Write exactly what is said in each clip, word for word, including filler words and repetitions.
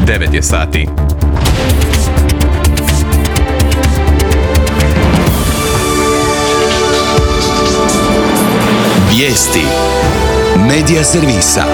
devet je sati. Vijesti Medija servisa.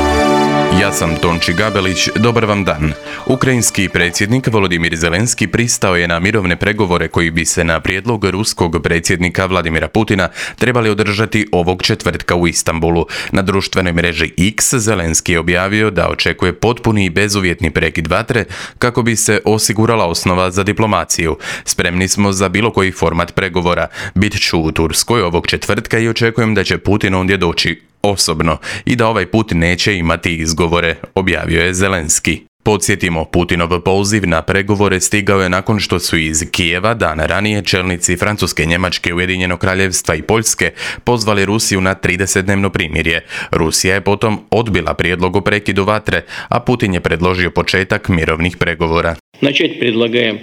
Ja sam Tonči Gabelić, dobar vam dan. Ukrajinski predsjednik Volodimir Zelenski pristao je na mirovne pregovore koji bi se na prijedlog ruskog predsjednika Vladimira Putina trebali održati ovog četvrtka u Istanbulu. Na društvenoj mreži X Zelenski je objavio da očekuje potpuni i bezuvjetni prekid vatre kako bi se osigurala osnova za diplomaciju. Spremni smo za bilo koji format pregovora. Bit ću u Turskoj ovog četvrtka i očekujem da će Putin ondje doći osobno i da ovaj put neće imati izgovore, objavio je Zelenski. Podsjetimo, Putinov poziv na pregovore stigao je nakon što su iz Kijeva dan ranije čelnici Francuske, Njemačke, Ujedinjenog Kraljevstva i Poljske pozvali Rusiju na tridesetdnevno primirje. Rusija je potom odbila prijedlog o prekidu vatre, a Putin je predložio početak mirovnih pregovora.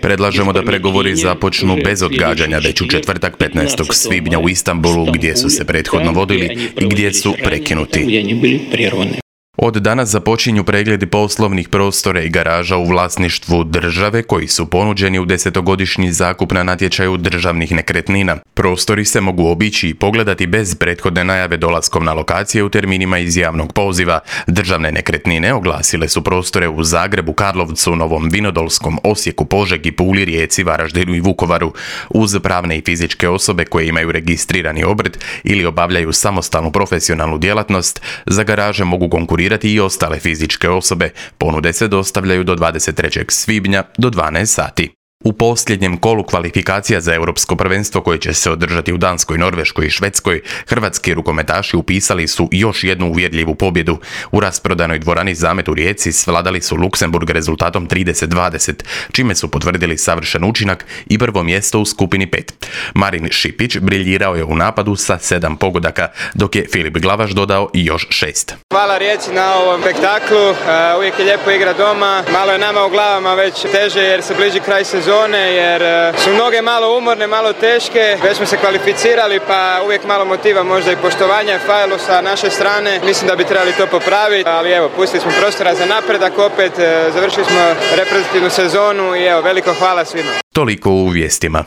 Predlažemo da pregovori započnu bez odgađanja već u četvrtak petnaestog svibnja u Istanbulu, gdje su se prethodno vodili i gdje su prekinuti. Od danas započinju pregledi poslovnih prostora i garaža u vlasništvu države koji su ponuđeni u desetogodišnji zakup na natječaju državnih nekretnina. Prostori se mogu obići i pogledati bez prethodne najave dolaskom na lokacije u terminima iz javnog poziva. Državne nekretnine oglasile su prostore u Zagrebu, Karlovcu, Novom Vinodolskom, Osijeku, Požegi, Puli, Rijeci, Varaždinu i Vukovaru. Uz pravne i fizičke osobe koje imaju registrirani obrt ili obavljaju samostalnu profesionalnu djelatnost, za garaže mogu konkurirati i ostale fizičke osobe. Ponude se dostavljaju do dvadeset trećeg svibnja do dvanaest sati. U posljednjem kolu kvalifikacija za europsko prvenstvo koje će se održati u Danskoj, Norveškoj i Švedskoj, hrvatski rukometaši upisali su još jednu uvjerljivu pobjedu. U rasprodanoj dvorani Zamet u Rijeci svladali su Luksemburg rezultatom trideset dvadeset, čime su potvrdili savršen učinak i prvo mjesto u skupini pet. Marin Šipić briljirao je u napadu sa sedam pogodaka, dok je Filip Glavaš dodao i još šest. Hvala Rijeci na ovom spektaklu, uvijek je lijepo igra doma, malo je nama u glavama već teže jer se bliži kraj sezone. Jer su mnoge malo umorne, malo teške, već smo se kvalificirali pa uvijek malo motiva, možda i poštovanja je falilo sa naše strane, mislim da bi trebali to popraviti, ali evo, pustili smo prostora za napredak, opet završili smo reprezentativnu sezonu i evo, veliko hvala svima. Toliko u vijestima.